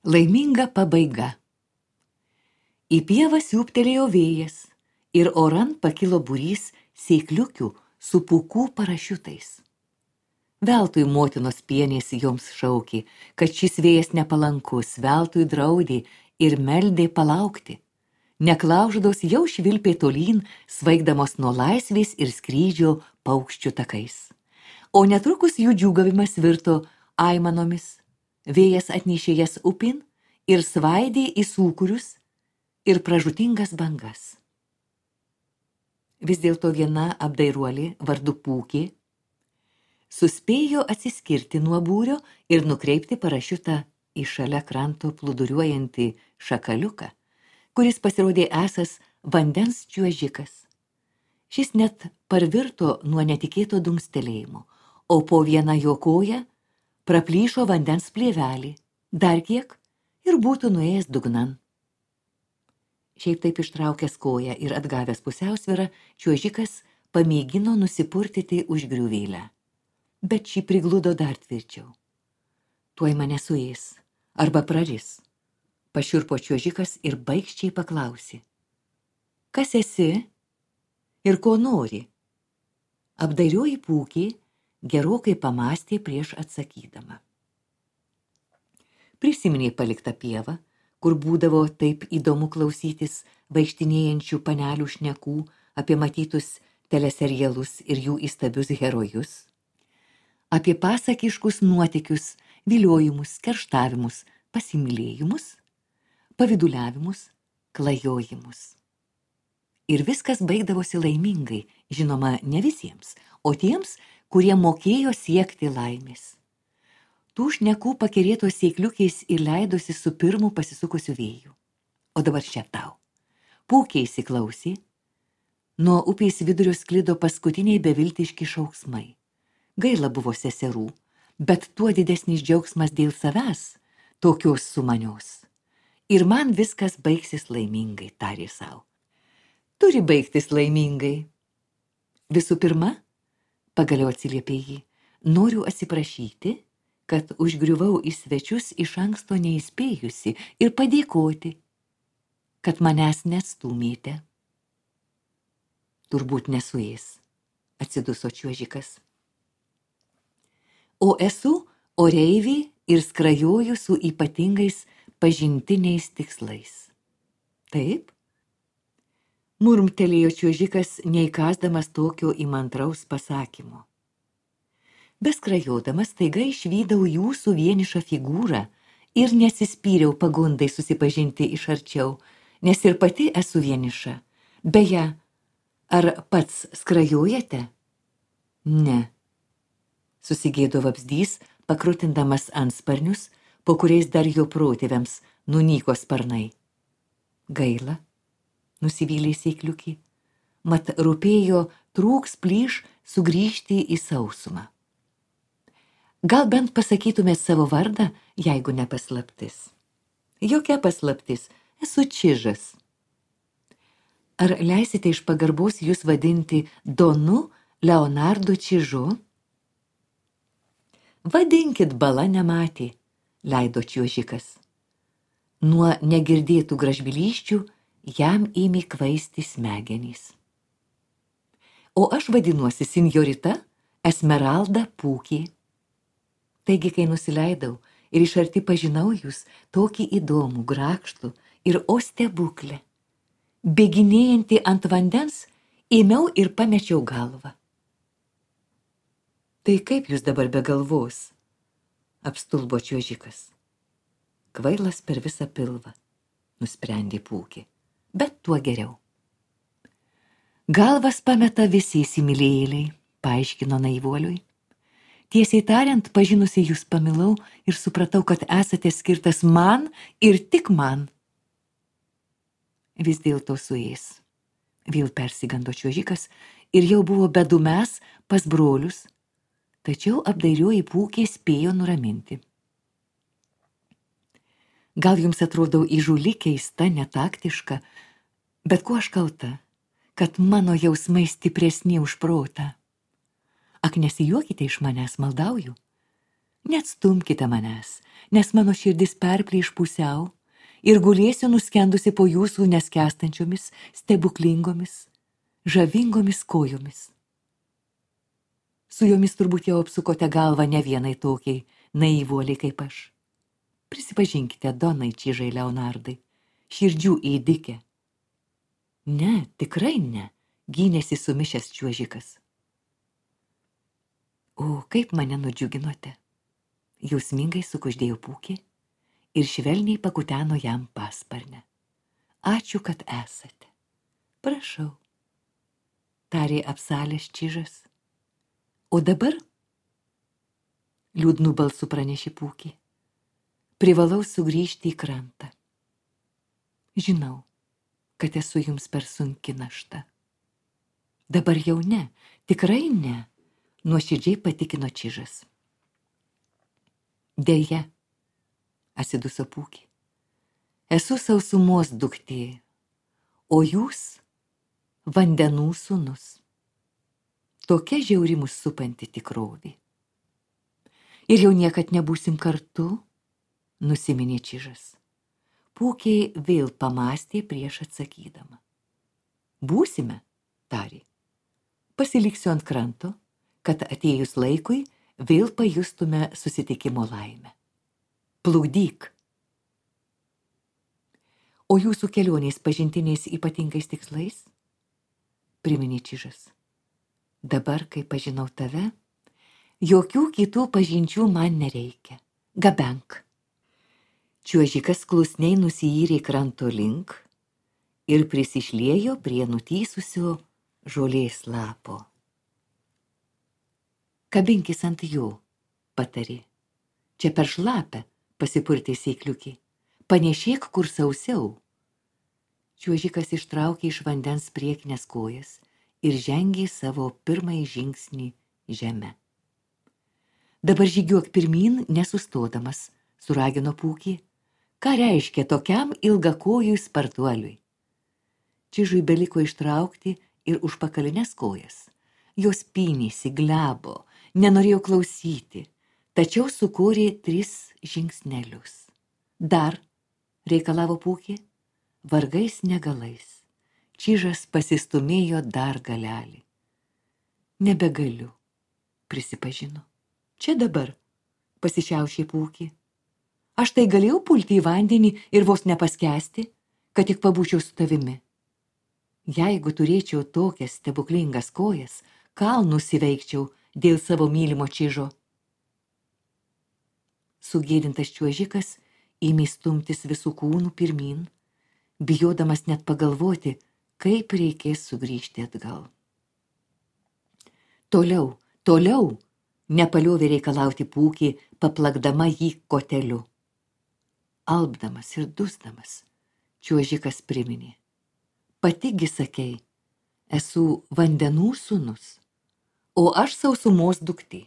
Laiminga pabaiga. Į pievą siūbtelėjo vėjas ir oran pakilo būrys sėkliukių su pūkų parašiutais. Veltui motinos pienės joms šaukė, kad šis vėjas nepalankus, veltui draudė ir meldė palaukti. Neklaužados jau švilpė tolyn, svaigdamos nuo laisvės ir skrydžio paukščių takais. O netrukus jų džiūgavimas virto aimanomis. Vėjas atnešė jas upin ir svaidė į sūkurius ir pražūtingas bangas. Vis dėlto viena apdairuolė vardu Pūkė suspėjo atsiskirti nuo būrio ir nukreipti parašiutą į šalia kranto plūduriuojantį šakaliuką, kuris pasirodė esąs vandens čiuožikas. Šis net parvirto nuo netikėto dunkstelėjimo, o po vieną jo koją praplyšo vandens plėvelį, dar kiek ir būtų nuėjęs dugnan. Šiaip taip ištraukęs koją ir atgavęs pusiausvyrą, čiuožikas pamėgino nusipurtyti užgriuvėlę. Bet šį prigludo dar tvirčiau. Tuoj mane suės, arba praris. Pašiurpo čiuožikas ir baikščiai paklausė. Kas esi ir ko nori? Apdairioji Pūkė gerokai pamastė prieš atsakydama. Prisiminė paliktą pievą, kur būdavo taip įdomu klausytis vaikštinėjančių panelių šnekų apie matytus teleserialus ir jų įstabius herojus, apie pasakiškus nuotykius, viliojimus, kerštavimus, pasimylėjimus, paviduliavimus, klajojimus. Ir viskas baigdavosi laimingai, žinoma, ne visiems, o tiems, kurie mokėjo siekti laimės. Tų šnekų pakerėtos sėkliukiais ir leidosi su pirmu pasisukusiu vėju. O dabar čia tau. Pūkė įsiklausė. Nuo upės vidurio sklido paskutiniai beviltiški šauksmai. Gaila buvo seserų, bet tuo didesnis džiaugsmas dėl savęs, tokios sumanios. Ir man viskas baigsis laimingai, tarė sau. Turi baigtis laimingai. Visų pirma, pagaliau atsiliepė jį, noriu atsiprašyti, kad užgriuvau į svečius iš anksto neįspėjusi ir padėkoti, kad manęs neatstūmėte. Turbūt nesuės, atsiduso čiuožikas. O esu oreivė ir skrajoju su ypatingais pažintiniais tikslais. Taip? Murmtelėjo čiuožikas, neįkasdamas tokio įmantraus pasakymo. Beskrajodamas staiga išvydau jūsų vienišą figūrą ir nesispyriau pagundai susipažinti iš arčiau, nes ir pati esu vieniša. Beje, ar pats skrajojate? Ne. Susigėdo vabzdys, pakrutindamas antsparnius, po kuriais dar jo protėviams nunyko sparnai. Gaila. Nusivylė sėkliukį, mat rūpėjo trūks plyš sugrįžti į sausumą. Gal bent pasakytumėt savo vardą, jeigu ne paslaptis. Jokia paslaptis, esu Čižas. Ar leisite iš pagarbos jūs vadinti Donu Leonardu Čižu? Vadinkit, bala nematė, leido čiuožikas. Nuo negirdėtų gražbylysčių jam ėmė kvaisti smegenys. O aš vadinuosi Sinjorita Esmeralda Pūkė. Taigi, kai nusileidau ir iš arti pažinau jūs, tokį įdomų, grakštų ir o stebuklę, bėginėjantį ant vandens, ėmiau ir pamečiau galvą. Tai kaip jūs dabar be galvos? Apstulbo čiuožikas. Kvailas per visą pilvą, nusprendė Pūkė. Bet tuo geriau. Galvas pameta visi įsimylėjėliai, paaiškino naivuoliui. Tiesiai tariant, pažinusi jūs pamilau ir supratau, kad esate skirtas man ir tik man. Vis dėlto suės. Vėl persigando čiuožikas ir jau buvo bedumęs pas brolius, tačiau apdairioji Pūkė spėjo nuraminti. Gal jums atrodo įžūli, keista, netaktiška, bet kuo aš kalta, kad mano jausmai stipresni už protą. Ak, nesijuokite iš manęs, maldauju. Neatstumkite manęs, nes mano širdis perplyš pusiau ir gulėsiu nuskendusi po jūsų neskęstančiomis, stebuklingomis, žavingomis kojomis. Su jomis turbūt jau apsukote galvą ne vienai tokiai naivuoliai kaip aš. Prisipažinkite, donai Čižai Leonardai, širdžių ėdikė. Ne, tikrai ne, gynėsi sumišęs čiuožikas. O, kaip mane nudžiuginote. Jausmingai sukuždėjo Pūkį ir švelniai pakuteno jam pasparnę. Ačiū, kad esate. Prašau, tarė apsalęs Čižas. O dabar, liūdnų balsų pranešė Pūkį, privalau sugrįžti į krantą. Žinau, kad esu jums per sunki našta. Dabar jau ne, tikrai ne, nuoširdžiai patikino Čižas. Deja, atsiduso Pūkį, esu sausumos duktė, o jūs vandenų sūnus. Tokia žiauri mus supanti tikrovė. Ir jau niekad nebūsim kartu, nusiminė Čižas. Pūkė vėl pamastė prieš atsakydama. Būsime, tarė. Pasiliksiu ant kranto, kad atėjus laikui vėl pajustume susitikimo laimę. Plukdyk. O jūsų kelionės pažintiniais ypatingais tikslais? Priminė Čižas. Dabar, kai pažinau tave, jokių kitų pažinčių man nereikia. Gabenk. Čiuožikas klusniai nusiyrė kranto link ir prisišliejo prie nutysusio žolės lapo. Kabinkis ant jo, patarė. Čia per šlapę, pasipurtė sėkliukį. Panešėk kur sausiau. Čiuožikas ištraukė iš vandens priekinės kojas ir žengė savo pirmąjį žingsnį žeme. Dabar žygiuok pirmyn, nesustodamas, suragino Pūkį. Ką reiškia tokiam ilgakojui spartuoliui? Čižui beliko ištraukti ir užpakalinės kojas. Jos pynėsi, glebo, nenorėjo klausyti, tačiau sukūrė 3 žingsnelius. Dar, reikalavo Pūkį, vargais negalais. Čižas pasistumėjo dar galelį. Nebegaliu, prisipažino. Čia dabar, pasišiaušė Pūkį. Aš tai galėjau pulti į vandenį ir vos nepaskęsti, kad tik pabūčiau su tavimi. Jeigu turėčiau tokias stebuklingas kojas, kalnus įveikčiau dėl savo mylimo Čižo. Sugėdintas čiuožikas ėmė stumtis visų kūnų pirmyn, bijodamas net pagalvoti, kaip reikės sugrįžti atgal. Toliau, toliau, nepaliovė reikalauti Pūkį, paplakdama jį koteliu. Alpdamas ir dusdamas, čiuožikas priminė. Patigi sakei, esu vandenų sūnus, o aš sausumos duktė.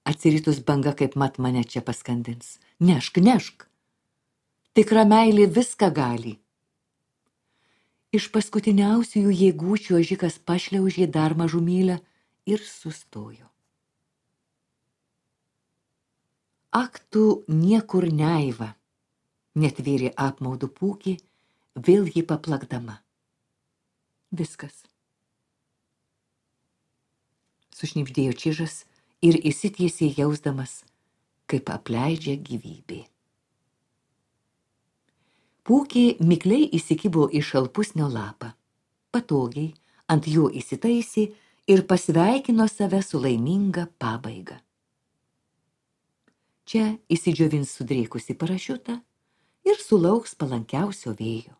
Atsiritus banga kaip mat mane čia paskandins. Nešk, nešk. Tikra meilė viską gali. Iš paskutiniausiųjų jėgų čiuožikas pašliaužė dar mažumėlę ir sustojo. Ak tu niekur neiva, netvėrė apmaudu Pūkį, vėl jį paplakdama. Viskas. Sušnibždėjo Čižas ir įsitiesė jausdamas, kaip apleidžia gyvybė. Pūkį mikliai įsikibo į šalpusnio lapą. Patogiai ant jo įsitaisė ir pasveikino save su laiminga pabaiga. Čia įsidžiovins sudrėkusi parašiutą ir sulauks palankiausio vėjo.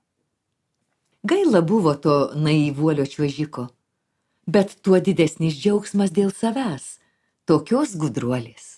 Gaila buvo to naivuolio čiuožiko, bet tuo didesnis džiaugsmas dėl savęs, tokios gudruolės.